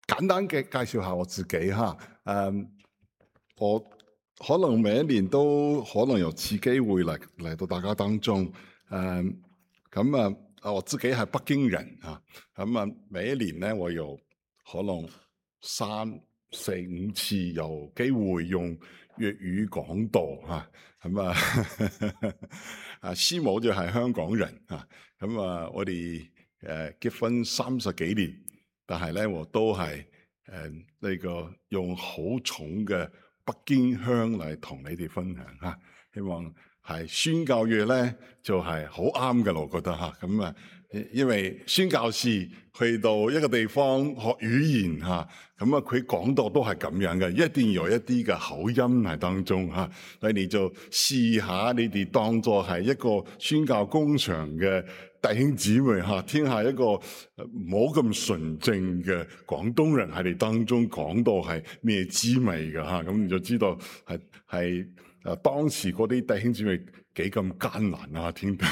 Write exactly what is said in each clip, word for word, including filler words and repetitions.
簡單嘅介紹下我自己哈。誒，我可能每一年都可能有次機會嚟嚟到大家當中。誒，咁啊，我自己係北京人啊。咁啊，每一年咧，我有可能三四五次有機會用粵語講道嚇。咁啊，啊師母就係香港人啊。咁啊，我哋誒結婚三十幾年，但係咧我都係誒呢個用好重嘅北京腔嚟同你哋分享嚇。希望係宣教粵咧就係好啱嘅，我覺得嚇。咁啊，因為宣教士去到一個地方學語言嚇，咁啊佢講道都係咁樣嘅，一定有一啲嘅口音喺當中嚇。你哋就試下，你哋當作係一個宣教工場嘅弟兄姊妹嚇，聽下一個冇咁純正嘅廣東人喺你當中講到係咩滋味嘅嚇，咁你就知道係係誒當時嗰啲弟兄姊妹幾咁艱難啊！聽得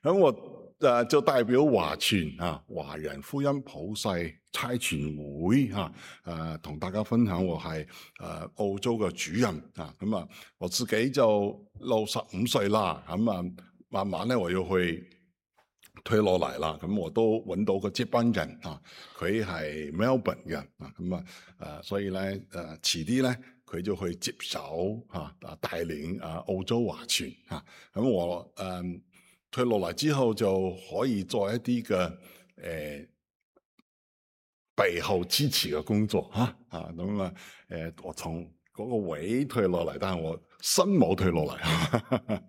咁我誒就代表華傳啊華人福音普世差傳會嚇誒同大家分享，我係誒澳洲嘅主任啊。咁啊我自己就六十五歲啦，咁啊慢慢咧我要去退落嚟啦。咁我都揾到個接班人啊，佢係 Melbourne 嘅啊。咁啊誒所以咧誒遲啲咧佢就去接手嚇啊帶領啊澳洲華傳嚇。咁我誒。呃退落嚟之後就可以做一啲嘅誒背後支持嘅工作嚇啊。咁啊誒我從嗰個位退落嚟，但係我心冇退落嚟。誒、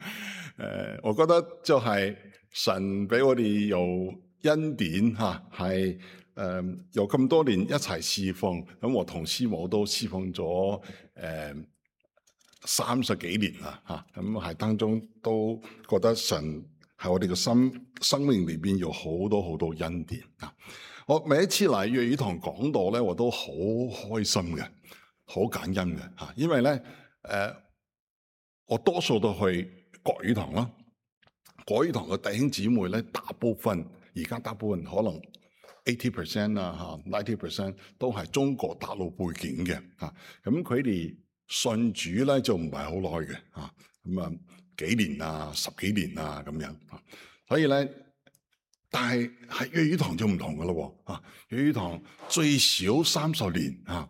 呃，我覺得就係神俾我哋有恩典嚇，係、啊、誒有咁多年一齊侍奉。咁我同師母都侍奉咗誒三十幾年啦嚇。咁、啊、係當中都覺得神喺我哋嘅心生命裏邊有好多好多恩典啊！我每一次嚟粵語堂講道咧，我都好開心嘅，好感恩嘅嚇。因為咧，誒、呃，我多數都去國語堂啦。國語堂嘅弟兄姊妹咧，大部分而家大部分可能eighty percent 啊嚇，ninety percent 都係中國大陸背景嘅嚇。咁佢哋信主咧就唔係好耐嘅嚇。咁啊。幾年啊，十幾年啊，咁樣，所以咧，但係喺粵語堂就唔同噶咯喎，啊，粵語堂最少三十年啊，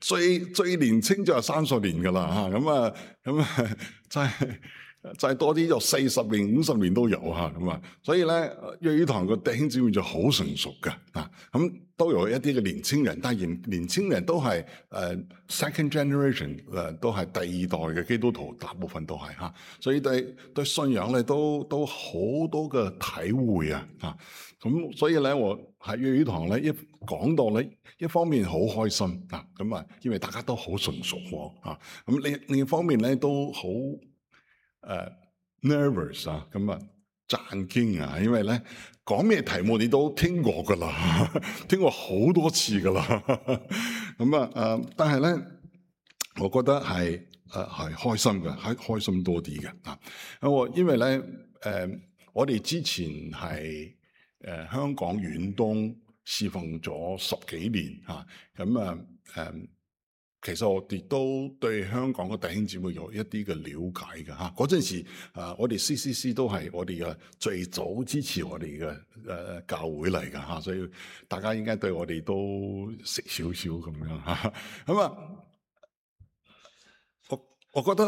最最年青就係三十年噶啦嚇，咁啊，咁啊，真係。再多啲就四十年、五十年都有嚇咁啊，所以咧粵語堂個弟兄姊妹就好成熟嘅啊，咁都有一啲嘅年青人，但係年年青人都係誒、uh, second generation 誒、uh, 都係第二代嘅基督徒，大部分都係嚇，所以對對信仰咧都都好多嘅體會啊嚇，咁所以咧我喺粵語堂咧一講到咧一方面好開心啊，咁啊因為大家都好純熟喎啊，咁另另一方面咧都好。誒、uh, nervous 啊，咁啊震驚啊，因為咧講咩題目你都聽過噶啦，聽過好多次噶啦，咁啊誒，但係咧，我覺得係誒係開心嘅，係開心多啲嘅啊。我因為咧誒、呃，我哋之前係誒、呃、香港遠東侍奉咗十幾年嚇，咁啊誒。呃其實我哋都對香港嘅弟兄姊妹有一啲嘅了解嘅嚇。嗰陣時啊，我哋 C C C 都係我哋嘅最早支持我哋嘅誒教會嚟嘅嚇，所以大家應該對我哋都識少少咁樣嚇。咁啊，我我覺得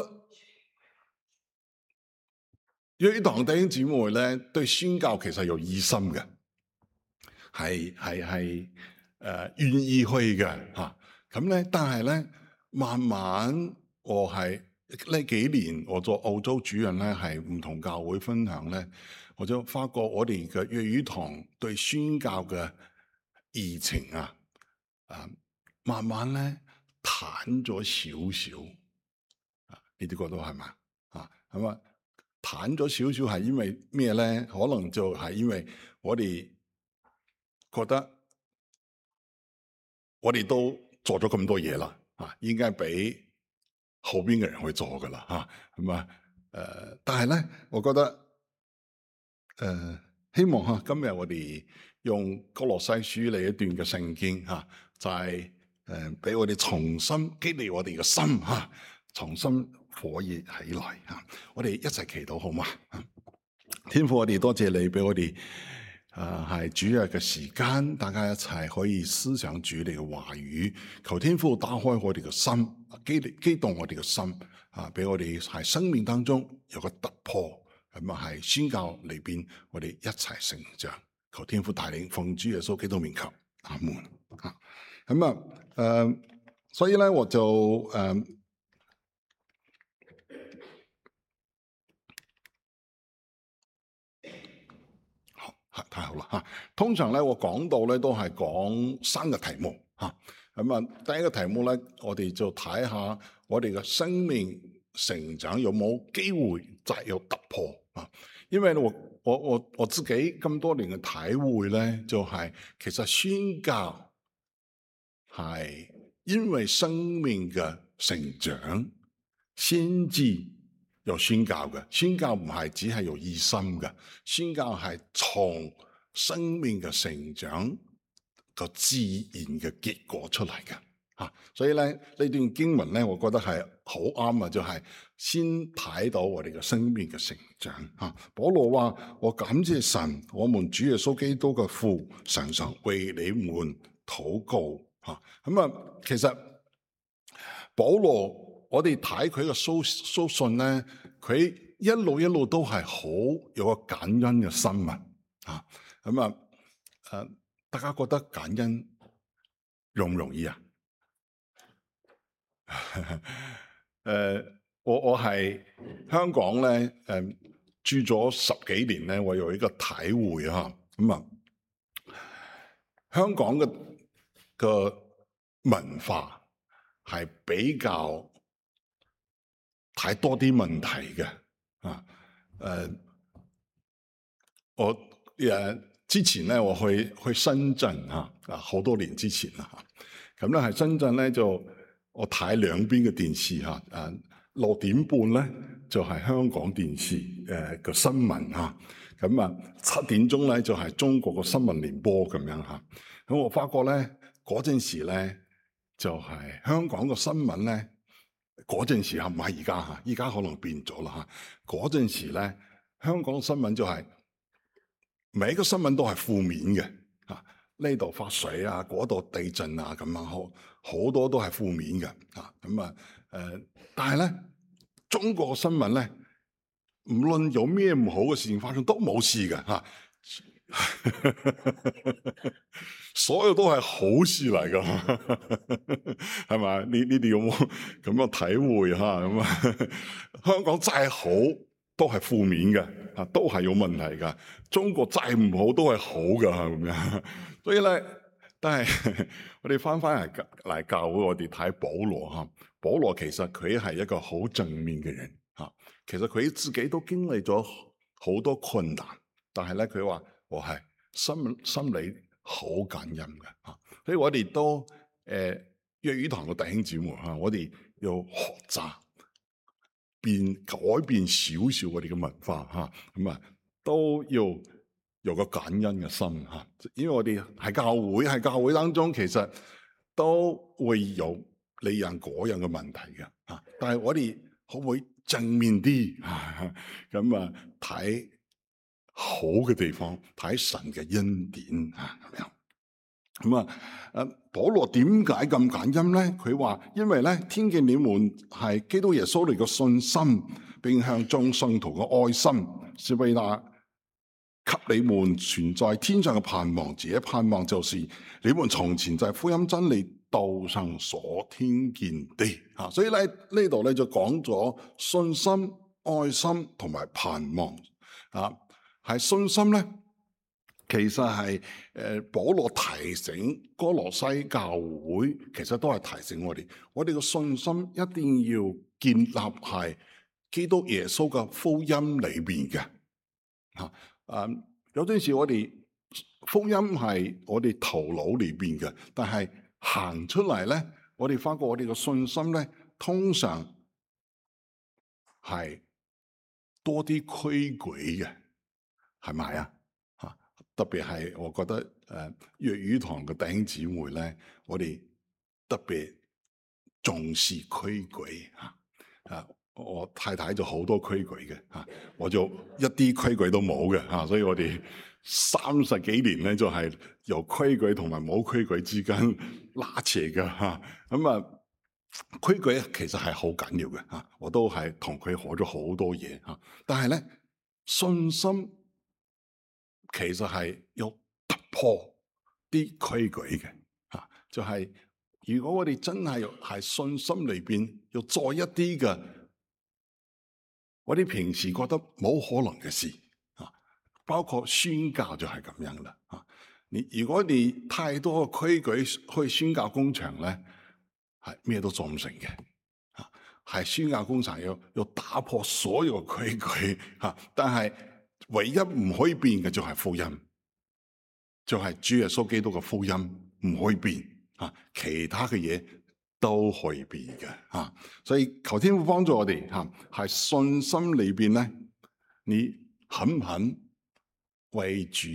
粵語堂弟兄姊妹咧對宣教其實有熱心嘅，係係係誒願意去嘅嚇。咁咧，但係咧，慢慢我係呢幾年我做澳洲主任咧，係唔同教會分享咧，我就發覺我哋嘅粵語堂對宣教嘅熱情啊，啊，慢慢咧淡咗少少，啊，你哋覺得係嘛？啊，咁啊，淡咗少少係因為咩咧？可能就係因為我哋覺得我哋都做咗咁多嘢啦，啊，應該俾後邊嘅人去做噶啦，嚇咁啊，誒、呃，但係咧，我覺得誒、呃、希望嚇今日我哋用歌羅西書嚟一段嘅聖經嚇，就係誒俾我哋重新激勵我哋嘅心嚇，重新火熱起來嚇。我哋一齊祈禱好嗎？天父，我哋多謝你俾我哋誒係主日嘅時間，大家一齊可以思想主你嘅話語。求天父打開我哋嘅心，激勵激動我哋嘅心啊，俾我哋喺生命當中有個突破。咁啊，係宣教裏邊，我哋一齊成長。求天父帶領，奉主耶穌基督名求，阿門。啊，咁啊，誒，所以咧，我就誒、呃，好，太好啦吓。通常咧，我講到咧都係講三個題目吓。咁啊，第一個題目咧，我哋就睇下我哋嘅生命成長有冇機會再有突破啊？因為我我我我自己咁多年嘅體會咧，就係、是、其實宣教係因為生命嘅成長先至有宣教嘅。宣教唔係只係有醫生嘅，宣教係從生命嘅成長個自然嘅結果出嚟嘅。啊，所以咧呢段經文咧，我覺得係好啱啊！就係、是、先睇到我哋嘅生命嘅成長。啊，保羅話：我感謝神，我們主耶穌基督嘅父，常常為你們禱告。嚇，咁啊，其實保羅，我哋睇佢嘅書書信咧，佢一路一路都係好有個感恩嘅心啊！啊，咁啊，誒，大家覺得感恩容唔容易啊？誒、呃，我我係香港咧，誒、呃、住咗十幾年咧，我有一個體會啊，咁啊，香港嘅嘅文化係比較睇多啲問題嘅啊，誒、呃，我誒、呃、之前咧，我去去深圳啊，啊好多年之前啦，咁咧喺深圳咧就。我睇兩邊嘅電視嚇，誒六點半咧就係、是、香港電視誒個新聞嚇，咁啊七點鐘咧就係、是、中國個新聞聯播咁樣嚇。咁我發覺咧嗰陣時咧就係、是、香港個新聞咧嗰陣時嚇，唔係而家嚇，而家可能變咗啦嚇。嗰陣時咧香港新聞就係、是、每一個新聞都係負面嘅嚇。呢度發水啊，嗰度地震啊，咁樣好好多都係負面嘅啊。咁啊，誒、呃，但係咧，中國嘅新聞咧，唔論有咩唔好嘅事情發生，都冇事嘅嚇、啊，所有都係好事嚟噶，係咪？你你哋有冇咁嘅體會嚇？咁啊，香港再好都係負面嘅，啊，都係有問題噶。中國再唔好都係好噶，咁樣。所以咧，但係我哋翻翻嚟嚟教會，我哋睇保羅嚇。保羅其實佢係一個好正面嘅人嚇。其實佢自己都經歷咗好多困難，但係咧佢話我係心心裏好感恩嘅嚇。所以我哋都誒粵語堂嘅弟兄姊妹嚇，我哋要學習變改變少少我哋嘅文化嚇，咁啊都要有個感恩嘅心嚇，因為我哋喺教會喺教會當中，其實都會有呢樣嗰樣嘅問題嘅嚇。但係我哋可唔可以正面啲咁啊？睇好嘅地方，睇神嘅恩典嚇咁樣。咁啊，誒，保羅點解咁感恩咧？佢話因為咧，聽見你們係基督耶穌嚟嘅信心，並向眾信徒嘅愛心，是為那給你們存在天上嘅盼望。這盼望就是你們從前在福音真理道上所聽見的。啊，所以咧呢度咧就講咗信心、愛心同埋盼望。啊，係信心咧。其實係誒保羅提醒歌羅西教會，其實都係提醒我哋，我哋嘅信心一定要建立喺基督耶穌嘅福音裏邊嘅。嚇，誒有陣時我哋福音係我哋頭腦裏邊嘅，但係行出嚟咧，我哋發覺我哋嘅信心咧，通常係多啲規矩嘅，係咪啊？特別係我覺得誒粵語堂嘅弟兄姊妹咧，我哋特別重視規矩嚇。啊，我太太就好多規矩嘅嚇，我就一啲規矩都冇嘅嚇，所以我哋三十幾年咧就係由規矩同埋冇規矩之間拉扯嘅嚇。咁啊，規矩其實係好緊要嘅嚇，我都係同佢學咗好多嘢嚇。但係咧，信心其實係要突破啲規矩嘅嚇，就係如果我哋真係係信心裏邊要做一啲嘅，我哋平時覺得冇可能嘅事啊，包括宣教就係咁樣啦啊！你如果你太多嘅規矩去宣教工場咧，係咩都做唔成嘅啊！係宣教工場要要打破所有嘅規矩嚇，但係唯一唔可以變嘅就係福音，就係主耶穌基督嘅福音唔可以變啊，其他嘅嘢都可以變嘅嚇。所以求天父幫助我哋嚇，係信心裏邊咧，你肯唔肯為主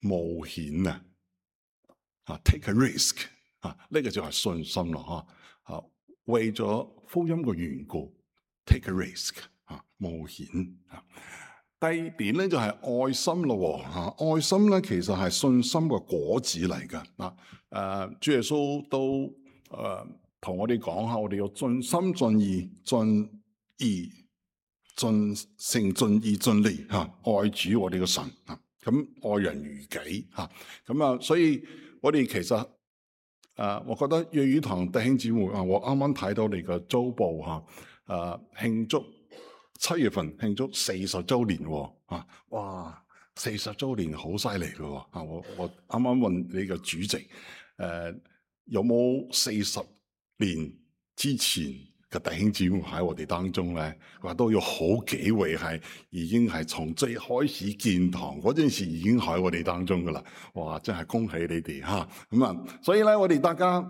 冒險啊？啊 ，take a risk 啊，呢個就係信心咯嚇。啊，為咗福音嘅緣故 ，take a risk 啊，冒險啊。第二點咧就係愛心咯嚇，愛心咧其實係信心嘅果子嚟㗎啊。誒，主耶穌都誒同我哋講下，我哋要盡心盡意盡意盡誠盡意盡力嚇愛主我哋嘅神啊。咁愛人如己嚇，咁啊，所以我哋其實誒，我覺得粵語堂弟兄姊妹啊，我啱啱睇到你嘅週報嚇，誒慶祝。七月份慶祝四十週年喎，啊，哇，四十週年好犀利嘅喎，啊，我我啱啱問你個主席，誒、呃，有冇四十年之前嘅弟兄姊妹喺我哋當中咧？話都有好幾位係已經係從最開始建堂嗰陣時已經喺我哋當中噶啦，哇，真係恭喜你哋嚇，咁啊，所以咧我哋大家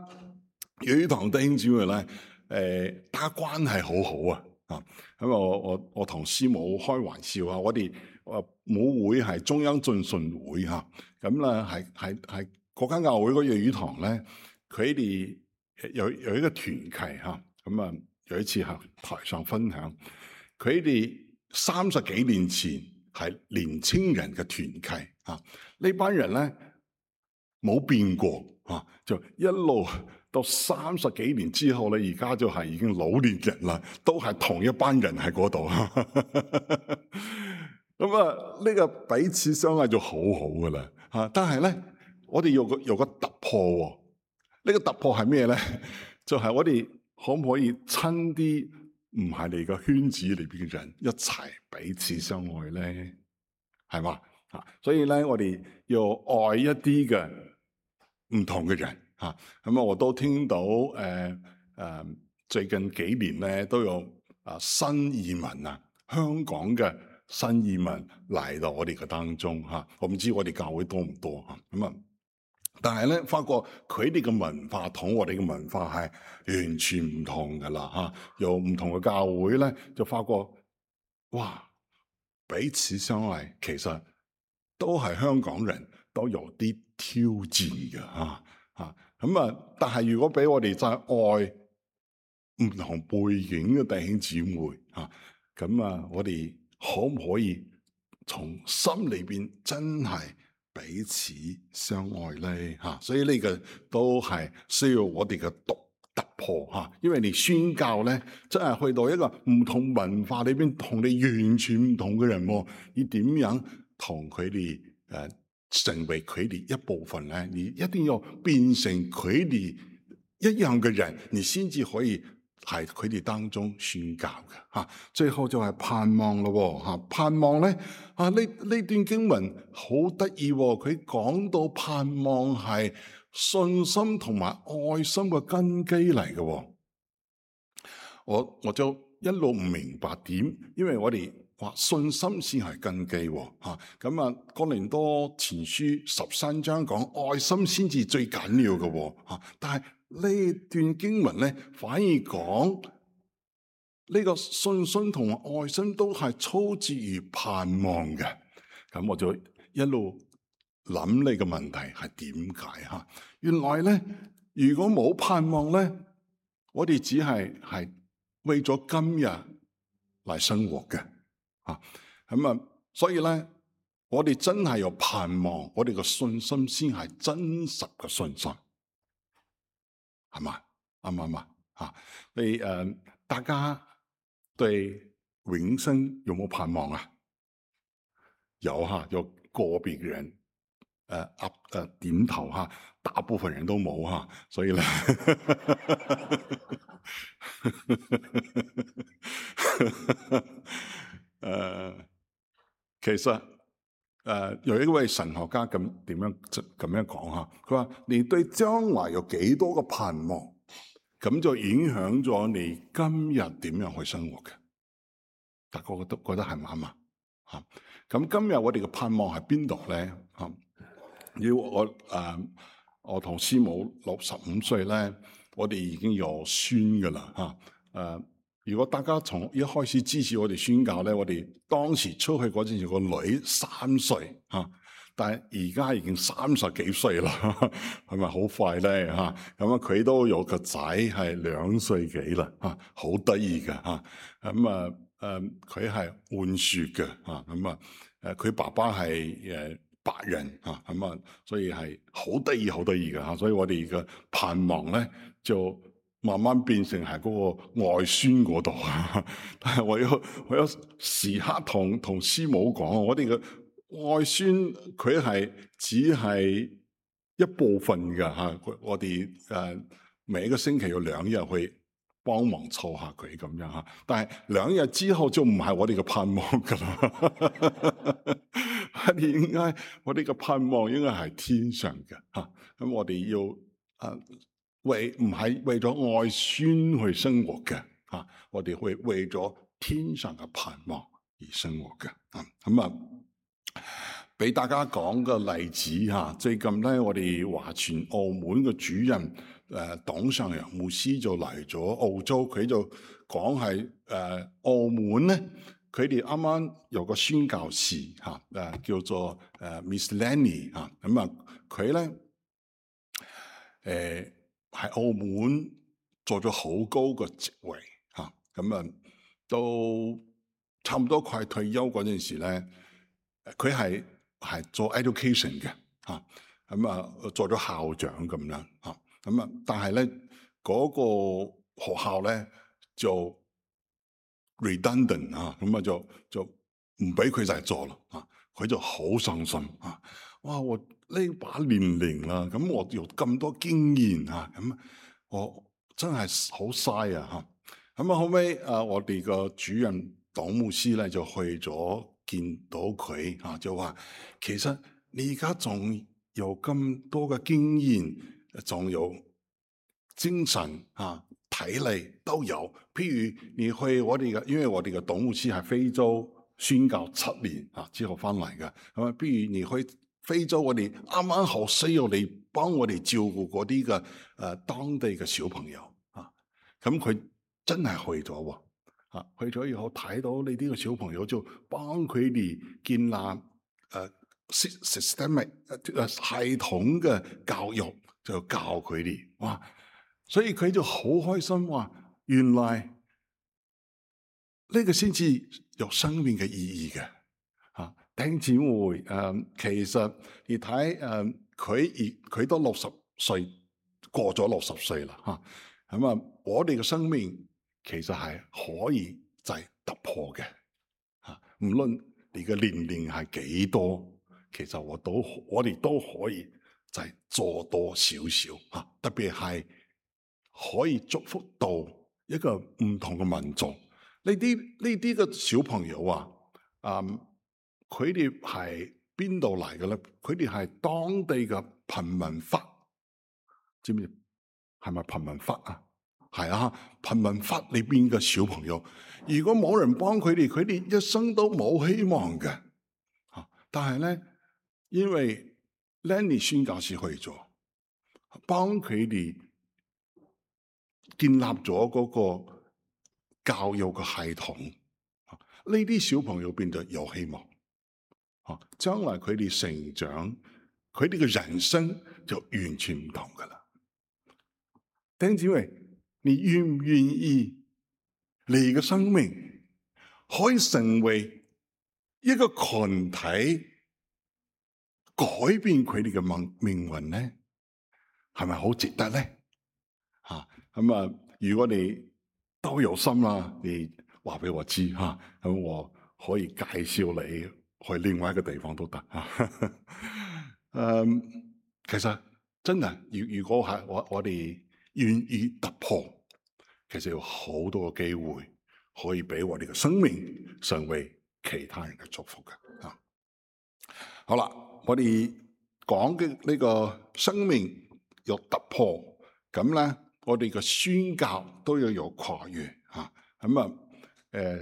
粵語堂弟兄姊妹咧，誒、呃，大家關係好好啊。啊，咁我我我同師母開玩笑啊，我哋誒母會係中央浸信會嚇，咁咧係係係嗰間教會嗰粵語堂咧，佢哋有有一個團契嚇，咁啊有一次喺台上分享，佢哋三十幾年前係年青人嘅團契嚇，呢班人咧冇變過嚇，就一路。到三十幾年之後咧，而家就係已經老年人啦，都係同一班人喺嗰度。咁啊，呢個彼此相愛就好好噶啦嚇。但係咧，我哋有個有個突破喎。呢個突破係咩咧？就係我哋可唔可以親啲唔係你個圈子裏邊嘅人一齊彼此相愛咧？係嘛嚇？所以咧，我哋要愛一啲嘅唔同嘅人。嚇咁啊！我都聽到誒誒、呃呃，最近幾年咧都有啊新移民啊，香港嘅新移民嚟到我哋嘅當中嚇、啊。我唔知我哋教會多唔多嚇咁啊，但係咧發覺佢哋嘅文化同我哋嘅文化係完全唔同噶啦嚇。有唔同嘅教會咧，就發覺哇，彼此相愛其實都係香港人都有啲挑戰嘅嚇嚇。咁啊！但係如果俾我哋再愛唔同背景嘅弟兄姊妹嚇，咁啊，我哋可唔可以從心裏邊真係彼此相愛咧嚇？所以呢個都係需要我哋嘅突突破嚇，因為你宣教咧，真係去到一個唔同文化裏邊，同你完全唔同嘅人喎，你點樣同佢哋誒？成為佢哋一部分咧，你一定要變成佢哋一樣嘅人，你先至可以喺佢哋當中宣教嘅嚇。最後就係盼望咯嚇，盼望咧啊呢呢段經文好得意喎，佢講到盼望係信心同埋愛心嘅根基嚟嘅。我我就一路唔明白點，因為我哋。話信心先係根基喎，嚇咁啊！哥林多前書十三章講愛心先至最緊要嘅喎，嚇。但係呢段經文咧，反而講呢個信心同愛心都係操之於盼望嘅。咁我就一路諗你嘅問題係點解嚇？原來咧，如果冇盼望咧，我哋只係係為咗今日嚟生活嘅嚇。咁啊，所以咧，我哋真係有盼望，我哋嘅信心先係真實嘅信心，係嘛？啱唔啱啊？嚇，你誒，大家對永生有冇盼望啊？有嚇，有個別嘅人誒噏誒點頭嚇，大部分人都冇嚇，所以咧，誒，其實誒、呃、有一位神學家咁點樣咁樣講嚇，佢話你對將來有幾多個盼望，咁就影響咗你今日點樣去生活嘅。大家覺得覺得係唔啱啊？嚇！咁今日我哋嘅盼望喺邊度咧？嚇！要我誒、呃，我同師母六十五歲咧，我哋已經有孫噶啦嚇。誒、呃，如果大家從一開始支持我哋宣教咧，我哋當時出去嗰陣時個女三歲嚇，但係而家已經三十幾歲啦，係咪好快咧嚇？咁啊，佢都有個仔係兩歲幾啦嚇，好得意嘅嚇。咁啊〜誒佢係換血嘅嚇，咁啊誒佢爸爸係誒白人嚇，咁啊所以係好得意好得意嘅嚇，所以我哋嘅盼望咧就慢慢變成係嗰個外孫嗰度啊。但係我要我要時刻同同師母講，我哋嘅外孫佢係只係一部分嘅嚇，我哋誒每一個星期有兩日去幫忙湊下佢咁樣嚇，但係兩日之後就唔係我哋嘅盼望噶啦。我哋應該，我哋嘅盼望應該係天上嘅嚇。咁我哋要誒、啊、為唔係為咗愛孫去生活嘅嚇，我哋會為咗天上嘅盼望而生活嘅。咁啊，俾大家講個例子嚇。最近咧，我哋華傳澳門嘅主任。誒董上陽牧師就嚟咗澳洲，佢就講係誒澳門咧，佢哋啱啱有個宣教士嚇，誒、啊、叫做誒 Miss Lenny 嚇，咁啊佢咧誒喺澳門做咗好高個職位嚇，咁啊到差唔多快退休嗰陣時咧，佢係係做 education 嘅嚇，咁啊做咗校長咁樣嚇。咁啊，但係咧嗰個學校咧就 redundant 啊，咁啊就就唔俾佢就係做啦啊，佢就好傷心啊！哇，我呢把年齡啦，咁我有咁多經驗啊，咁我真係好嘥啊嚇！咁啊後尾啊，我哋個主任董牧師咧就去咗見到佢啊，就話其實你而家仲有咁多嘅經驗。仲有精神啊、體力都有。譬如你去我哋嘅，因為我哋嘅董牧師係非洲宣教七年啊之後翻嚟嘅，係咪？譬如你去非洲，我哋啱啱好需要你幫我哋照顧嗰啲嘅誒當地嘅小朋友啊。咁佢真係去咗喎啊！去咗以後睇到你呢個小朋友，就幫佢哋建立誒、uh, systemic 誒系統嘅教育。就教佢哋，哇！所以佢就好開心話，原來呢個先至有生命嘅意義嘅嚇。弟兄姊妹誒，其實你睇誒，佢而佢都六十歲，過咗六十歲啦嚇。咁啊，我哋嘅生命其實係可以就係突破嘅嚇。無論你嘅年齡係幾多，其實我都我哋都可以。就係做多少少嚇，特別係可以祝福到一個唔同嘅民族。呢啲呢啲嘅小朋友啊，嗯，佢哋係邊度嚟嘅咧？佢哋係當地嘅貧民窟，知唔知？係咪貧民窟啊？係啊，貧民窟裏邊嘅小朋友，如果冇人幫佢哋，佢哋一生都冇希望嘅嚇。但係咧，因為Lenny 宣教士去咗，幫佢哋建立咗嗰個教育嘅系統，呢啲小朋友變得有希望。啊，將來佢哋成長，佢哋嘅人生就完全唔同噶啦。弟兄姊妹，你願唔願意你嘅生命可以成為一個群體，改變佢哋嘅命命運呢？係咪好值得呢？吓，咁啊，如果你都有心啦，你話俾我知吓，咁、啊、我可以介紹你去另外一個地方都得吓。嗯，其實真係，如如果係我我哋願意突破，其實有好多個機會可以俾我哋嘅生命成為其他人嘅祝福嘅。啊，好啦，我哋講嘅呢個生命有突破，咁咧我哋嘅宣教都要有跨越吓。咁啊，誒、呃、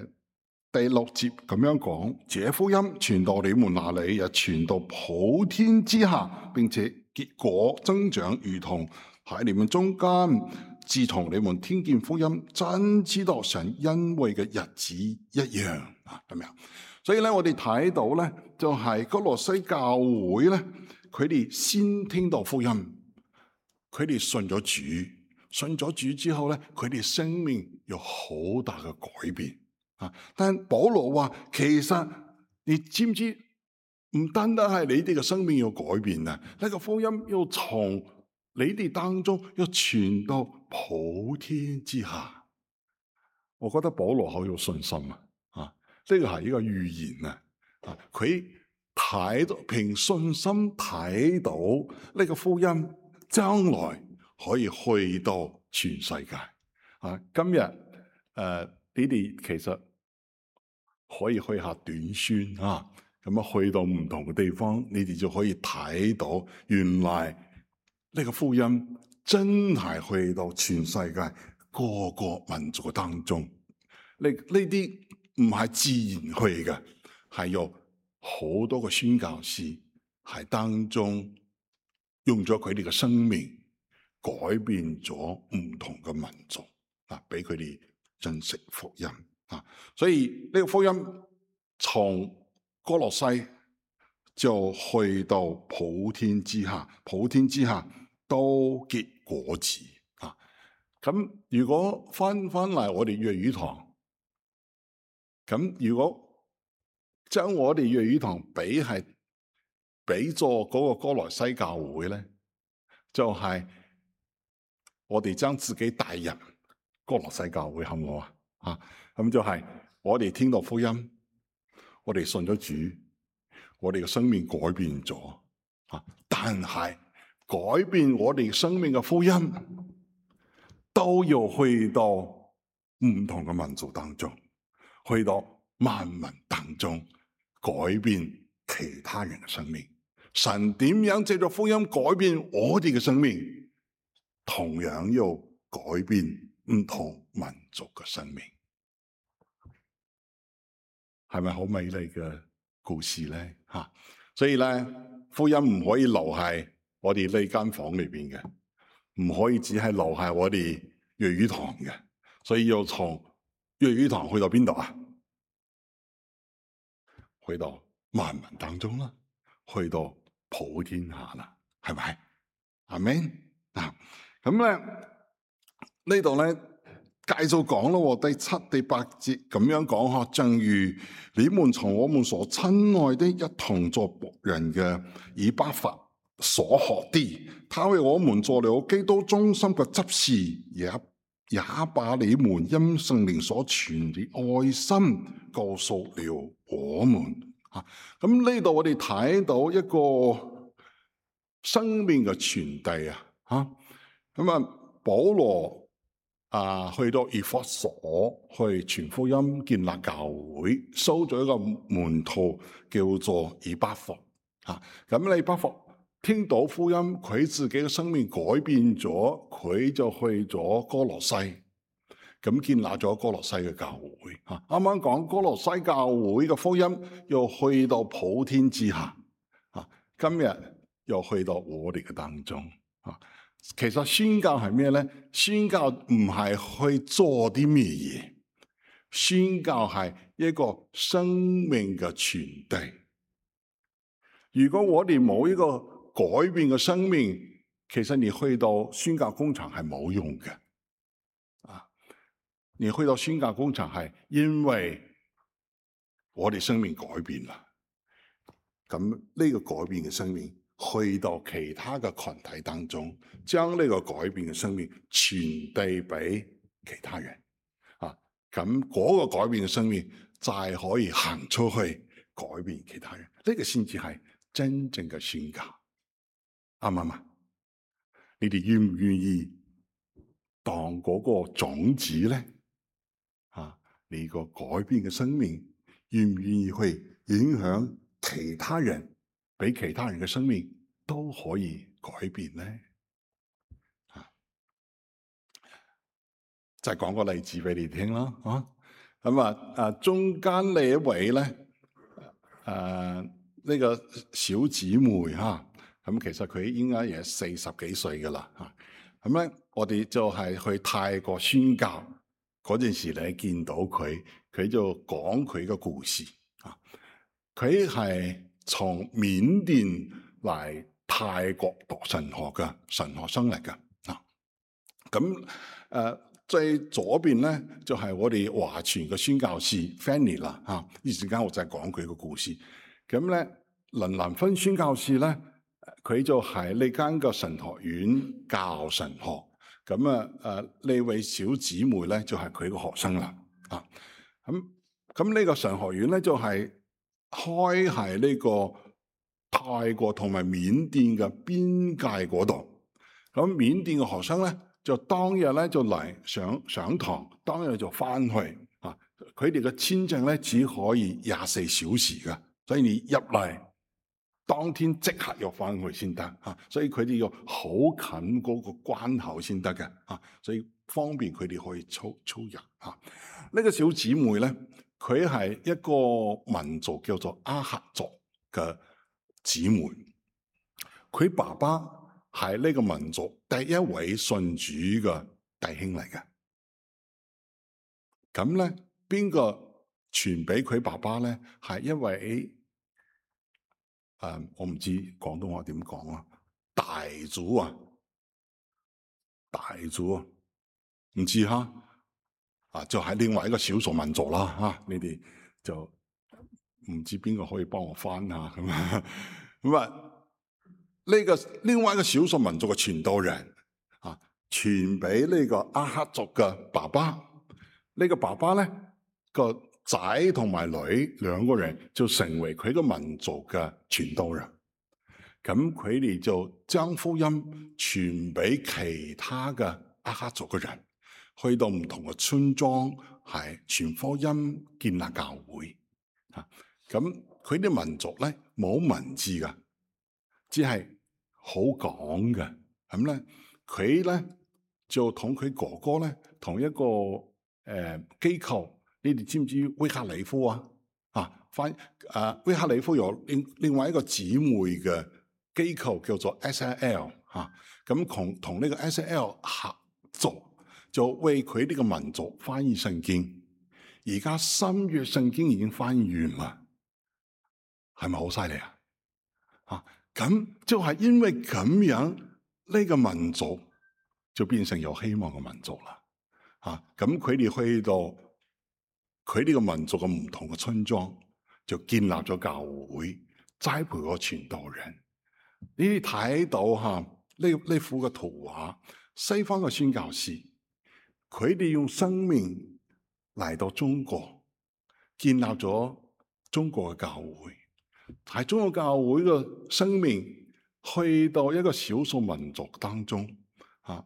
第六節咁樣講，這福音傳到你們那裏，又傳到普天之下，並且結果增長，如同喺你們中間，自從你們聽見福音，真知道神恩惠嘅日子一樣啊，係咪啊？所以咧，我哋睇到咧，就係歌羅西教會咧，佢哋先聽到福音，佢哋信咗主，信咗主之後咧，佢哋生命有好大嘅改變啊！但保羅話，其實你知唔知？唔單單係你哋嘅生命要改變啊，呢個福音要從你哋當中要傳到普天之下。我覺得保羅好有信心啊！啊，呢個係一個預言啊！啊，佢睇到憑信心睇到呢個福音將來可以去到全世界啊！今日誒、呃，你哋其實可以去下短宣啊！咁啊，去到唔同嘅地方，你哋就可以睇到，原來呢個福音真係去到全世界各個民族當中。呢呢啲唔係自然去嘅，係有好多個宣教士喺當中用咗佢哋嘅生命改變咗唔同嘅民族啊，俾佢哋認識福音啊。所以呢個福音從歌羅西就去到普天之下，普天之下都結果子啊！咁如果翻翻嚟我哋粵語堂，咁如果將我哋粵語堂比係比作嗰個歌羅西教會咧，就係、是、我哋將自己帶入歌羅西教會，好唔好啊？啊，咁就係我哋聽到福音。我哋信咗主，我哋嘅生命改變咗啊！但係改變我哋生命嘅福音，都要去到唔同嘅民族當中，去到萬民當中，改變其他人嘅生命。神點樣借助福音改變我哋嘅生命，同樣要改變唔同民族嘅生命。係咪好美麗嘅故事咧？吓，所以咧，福音唔可以留喺我哋呢間房裏邊嘅，唔可以只係留喺我哋粵語堂嘅，所以要從粵語堂去到邊度啊？去到萬民當中啦，去到普天下啦，係咪？阿們啊，咁咧呢度咧。繼續講咯，第七、第八節咁樣講吓，正如你們從我們所親愛的一同作僕人嘅以巴弗所學的，他為我們做了基督忠心嘅執事，也也把你們因聖靈所傳的愛心告訴了我們。吓，咁呢度我哋睇到一個生命嘅傳遞啊，吓，咁啊保羅。啊，去到以弗所去傳福音、建立教會，收咗一個門徒叫做以巴弗。啊，咁以巴弗聽到福音，佢自己嘅生命改變咗，佢就去咗歌羅西，咁建立咗歌羅西嘅教會。啊，啱啱講歌羅西教會嘅福音，又去到普天之下。啊，今日又去到我哋嘅當中。啊。其實宣教係咩咧？宣教唔係去做啲咩嘢，宣教係一個生命嘅傳遞。如果我哋冇一個改變嘅生命，其實你去到宣教工場係冇用嘅。啊，你去到宣教工場係因為我哋生命改變啦。咁呢個改變嘅生命去到其他嘅群體當中，將呢個改變嘅生命傳遞俾其他人。啊，咁嗰個改變嘅生命就係可以行出去改變其他人。呢個先至係真正嘅宣教，啱唔啱啊？你哋願唔願意當嗰個種子咧？啊，你個改變嘅生命願唔願意去影響其他人，俾其他人嘅生命都可以改變咧？啊，就係講個例子俾你聽啦。啊，咁啊啊，中間呢一位咧，誒、啊、呢、這個小姊妹吓，咁、啊、其實佢應該也四十幾歲噶啦吓。咁、啊、咧，我哋就係去泰國宣教嗰陣時咧，見到佢，佢就講佢嘅故事啊。佢係從緬甸嚟泰國讀神學嘅神學生嚟㗎啊。咁誒，最左邊咧就係、是、我哋華傳嘅宣教士 Fanny 啦嚇。呢陣間我就係講佢個故事。咁咧，林蘭芬宣教士咧，佢就喺呢間嘅神學院教神學。咁啊誒呢位小姊妹咧就係佢個學生啦啊。咁咁呢個神學院咧就係、是。開喺呢個泰國同埋緬甸嘅邊界嗰度，咁緬甸嘅學生咧就當日咧就嚟上上堂，當日就翻去啊。佢哋嘅簽證咧只可以廿四小時嘅，所以你入嚟當天即刻要翻去先得啊。所以佢哋要好近嗰個關口先得嘅啊，所以方便佢哋可以操操入啊。呢、這個小姊妹咧。佢係一個民族叫做阿克族嘅姊妹，佢爸爸係呢個民族第一位信主嘅弟兄嚟嘅。咁咧，邊個傳俾佢爸爸咧？係一位誒、呃，我唔知廣東話點講啊，大族啊，大族啊，唔知哈。啊，就係、是、另外一個少數民族啦，嚇、啊！你哋就唔知邊個可以幫我翻下咁啊？咁啊，呢、這個另外一個少數民族嘅傳道人啊，傳俾呢個阿克族嘅爸爸。呢、這個爸爸咧個仔同埋女兩個人就成為佢個民族嘅傳道人。咁佢哋就將福音傳俾其他嘅阿克族嘅人。去到唔同嘅村莊，係傳福音、建立教會。啊，咁佢啲民族咧冇文字噶，只係好講嘅。咁咧，佢咧就同佢哥哥咧同一個誒、呃、機構，你哋知唔知威克里夫啊？啊，翻誒威克里夫有另另外一個姊妹嘅機構叫做 S I L 嚇，咁同同呢個 S I L 合作。就為佢呢個民族翻譯聖經，而家新約聖經已經翻譯完啦，係咪好犀利啊？啊，咁就係因為咁樣，呢個民族就變成有希望嘅民族啦。啊，咁佢哋去到佢呢個民族嘅唔同嘅村莊，就建立咗教會，栽培個傳道人。你哋睇到吓呢呢幅嘅圖畫，西方嘅宣教士。佢哋用生命嚟到中國，建立咗中國嘅教會。喺中國教會嘅生命去到一個少數民族當中，啊，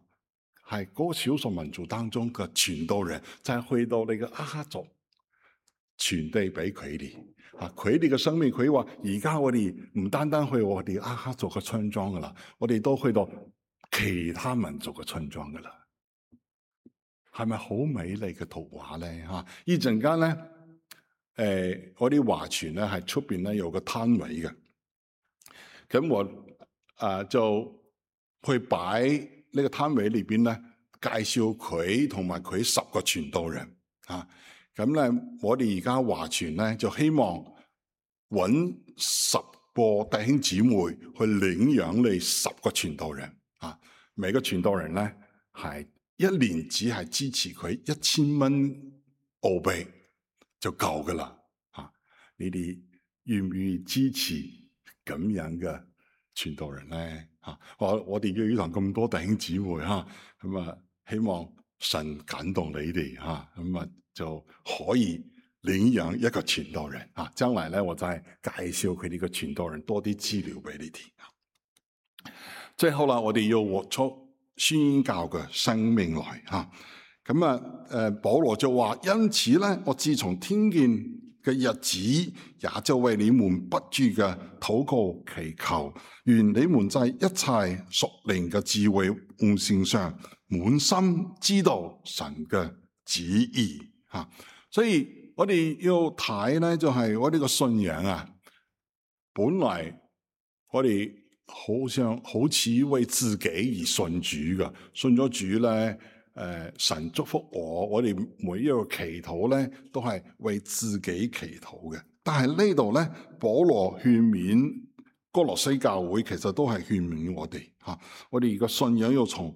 係嗰個少數民族當中嘅傳道人，就係、是、去到你嘅阿克族傳遞俾佢哋。啊，佢哋嘅生命，佢話而家我哋唔單單去我哋阿克族嘅村莊噶啦，我哋都去到其他民族嘅村莊噶啦。係咪好美麗嘅圖畫咧？嚇！呢陣間咧，誒、呃，我啲華傳咧係出邊咧有個攤位嘅，咁我啊、呃、就去擺呢個攤位裏邊咧，介紹佢同埋佢十個傳道人啊。咁咧，我哋而家華傳咧就希望揾十個弟兄姊妹去領養你十個傳道人啊，每個傳道人咧係一年只係支持佢一千蚊澳幣就夠噶啦啊！你哋願唔願意支持咁樣嘅傳道人咧？啊，我我哋要堂咁多弟兄姊妹吓，咁啊希望神感動你哋吓，咁啊就可以領養一個傳道人啊！將來咧，我再介紹佢哋個傳道人多啲資料俾你聽。最後啦，我哋要活出宣教嘅生命來吓。咁啊，誒，保羅就話：因此咧，我自從聽見嘅日子，也就為你們不住嘅禱告祈求，願你們在一切屬靈嘅智慧悟性上，滿心知道神嘅旨意吓。所以我哋要睇咧，就係我哋個信仰啊，本來我哋好像好似為自己而信主嘅，信咗主咧，誒、呃，神祝福我，我哋每一個祈禱咧都係為自己祈禱嘅。但係呢度咧，保羅勸勉哥羅西教會，其實都係勸勉我哋吓、啊，我哋個信仰要從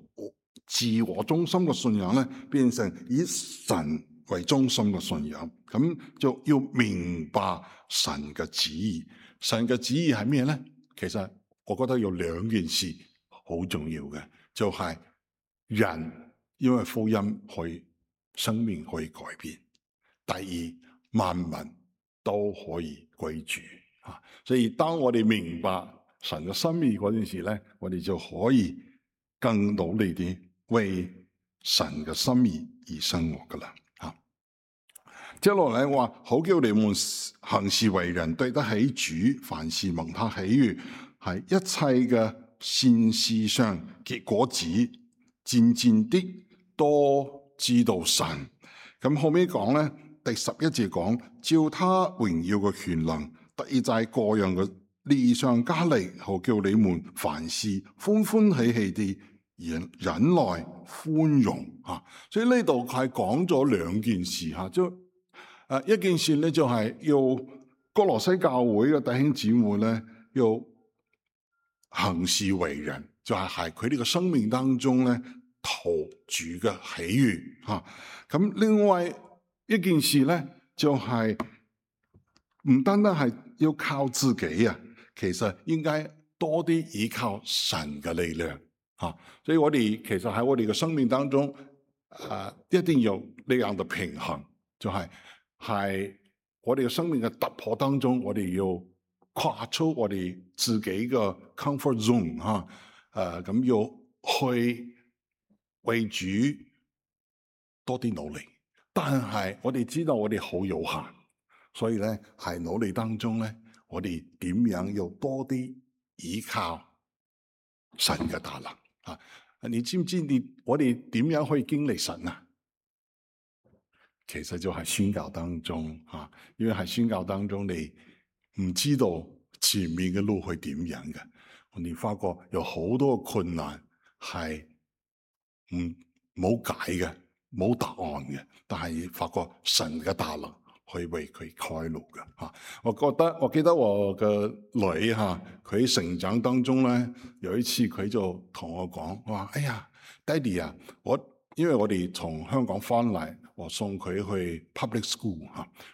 自我中心嘅信仰咧，變成以神為中心嘅信仰，咁就要明白神嘅旨意。神嘅旨意係咩咧？其實我覺得有兩件事好重要嘅，就係、是、人因為福音可以生命可以改變，第二萬民都可以歸主啊！所以當我哋明白神嘅心意嗰陣時咧，我哋就可以更努力啲為神嘅心意而生活噶啦。接落嚟話，好叫你們行事為人對得起主，凡事蒙他喜悅，係一切嘅善事上結果子，漸漸的多知道神。咁後尾講咧，第十一節講，照他榮耀嘅權能，特意在各樣嘅利上加力，好叫你們凡事歡歡喜喜地忍忍耐寬容吓。所以呢度係講咗兩件事吓，就誒，一件事咧就係要哥羅西教會嘅弟兄姊妹咧，要行事為人，就係喺佢哋嘅生命當中咧，討主嘅喜悅吓。咁另外一件事咧，就係唔單單係要靠自己啊，其實應該多啲依靠神嘅力量吓。所以我哋其實喺我哋嘅生命當中，誒，一定要呢樣嘅平衡，就係。係我哋嘅生命嘅突破當中，我哋要跨出我哋自己嘅 comfort zone 吓、啊，誒、呃、咁要去為主多啲努力。但係我哋知道我哋好有限，所以咧喺努力當中咧，我哋點樣要多啲依靠神嘅大能啊？你知唔知你我哋點樣可以經歷神啊？其實就係宣教當中吓，因為喺宣教當中，你唔知道前面嘅路係點樣嘅，你發覺有好多困難係唔冇解嘅，冇答案嘅，但係發覺神嘅大能可以為佢開路嘅吓。我覺得我記得我嘅女吓，佢成長當中咧，有一次佢就同我講，我話：哎呀，爹哋啊，我因為我哋從香港翻嚟。我送佢去 public school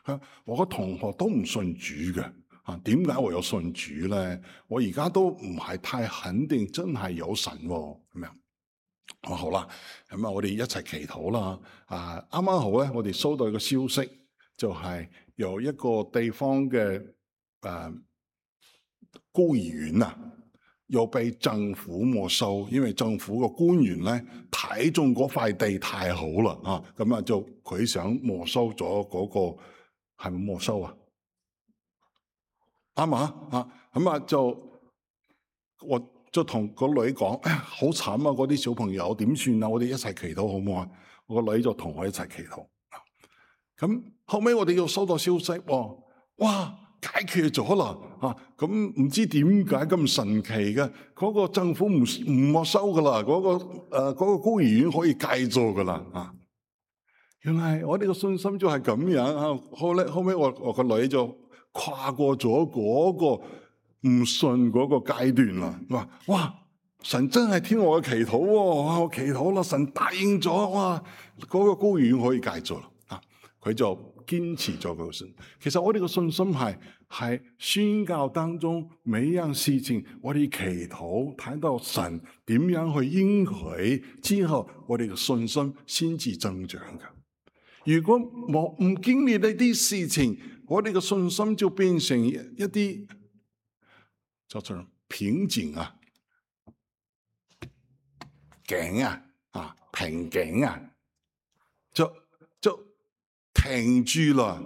嚇，我個同學都唔信主嘅嚇，點解我有信主咧？我而家都唔係太肯定，真係有神喎咁樣。我好啦，咁啊，我哋一齊祈禱啦。啊，啱啱好咧，我哋收到一個消息，就係由一個地方嘅誒孤兒院啊，又被政府沒收，因為政府個官員咧睇中嗰塊地太好啦，啊，咁啊就佢想沒收咗嗰個，係咪沒收啊？啱嘛？啊，咁啊就我就同個女講，哎呀，好慘啊！嗰啲小朋友點算啊？我哋一齊祈禱好唔好啊？我個女就同我一齊祈禱。咁後尾我哋又收到消息，喎，哇！解決咗啦，嚇，咁唔知點解咁神奇嘅？嗰個政府唔唔沒收噶啦，嗰個誒嗰個孤兒院可以繼續噶啦，啊！原來我哋個信心就係咁樣啊！後咧後尾我我個女就跨過咗嗰個唔信嗰個階段啦。話哇，神真係聽我嘅祈禱喎，哇！我祈禱啦，神答應咗，哇！嗰個孤兒院可以解咗啦。啊，佢就堅持咗佢個信。其實我哋嘅信心係係宣教當中每一樣事情，我哋祈禱睇到神點樣去應許之後，我哋嘅信心先至增長嘅。如果冇唔經歷呢啲事情，我哋嘅信心就變成一啲叫做瓶頸啊、頸啊、啊瓶頸啊，就就停住啦，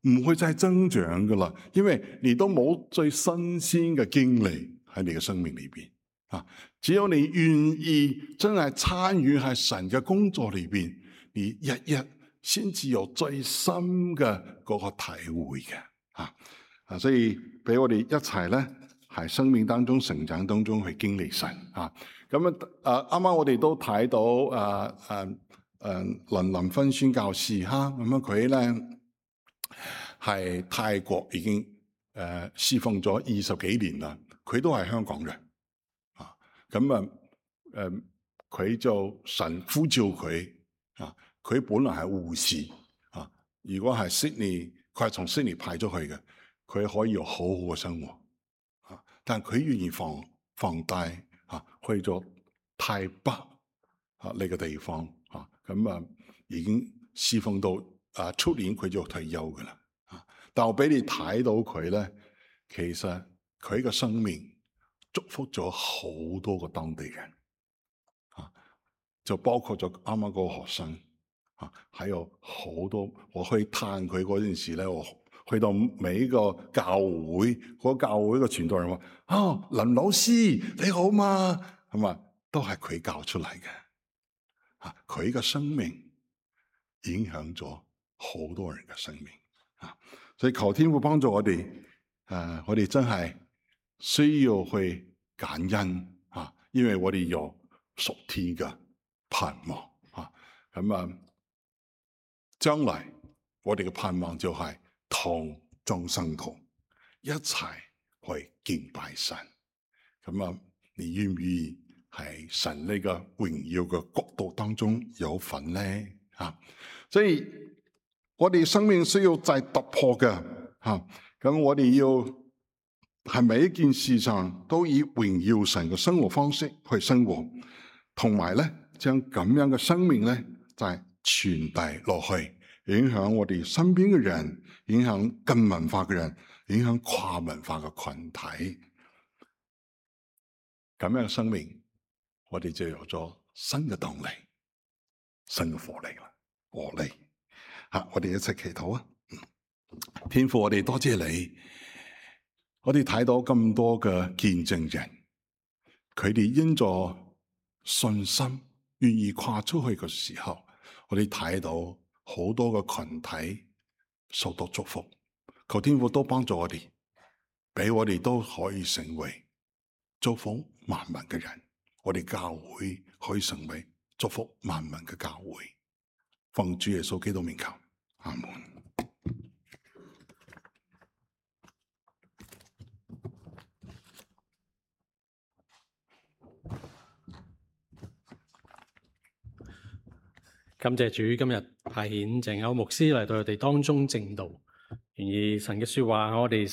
唔會再增長噶啦，因為你都冇最新鮮嘅經歷喺你嘅生命裏邊啊。只有你願意真係參與喺神嘅工作裏邊，你日日先至有最深嘅嗰個體會嘅啊。啊，所以俾我哋一齊咧，喺生命當中成長當中去經歷神啊。咁啊，啱啱我哋都睇到啊啊誒林林芬宣教士哈，咁樣佢咧係泰國已經誒侍奉咗二十幾年啦，佢都係香港人啊。咁啊誒，佢就神呼召佢啊，佢本來係護士啊，如果係悉尼，佢係從悉尼派咗去嘅，佢可以有好好嘅生活啊，但係佢願意放放低啊，去咗泰北啊呢個地方啊。咁啊，已經侍奉到啊出年佢就退休噶啦。啊，但我俾你睇到佢咧，其實佢嘅生命祝福咗好多個當地人。啊，就包括咗啱啱嗰個學生。啊，還有好多我去探佢嗰陣時咧，我去到每一個教會，嗰、那個、教會嘅傳道人話：哦，林老師你好嘛？係嘛，都係佢教出嚟嘅。啊，佢嘅生命影響咗好多人嘅生命。啊，所以求天父幫助我哋。誒、啊，我哋真係需要去感恩。啊，因為我哋有屬天嘅盼望。啊，咁啊，將來我哋嘅盼望就係同眾生同一齊去敬拜神。咁啊，你願唔願意喺神呢個榮耀嘅國度當中有份咧？吓，所以我哋生命需要再突破嘅吓。咁我哋要喺每一件事上都以榮耀神嘅生活方式去生活，同埋咧將咁樣嘅生命咧就係傳遞落去，影響我哋身邊嘅人，影響近文化嘅人，影響跨文化嘅群體。咁樣嘅生命，我哋就有咗新嘅動力、新嘅活力啦，活力。吓，我哋一齊祈禱啊！天父，我哋多謝你，我哋睇到咁多嘅見證人，佢哋因咗信心願意跨出去嘅時候，我哋睇到好多嘅群體受到祝福。求天父都幫助我哋，俾我哋都可以成為祝福萬民嘅人。我哋教會可以成為祝福萬民嘅教會。奉主耶穌基督名求，阿門。感謝主今日派遣鄭歐牧師嚟到我哋當中證道，願意神嘅說話我哋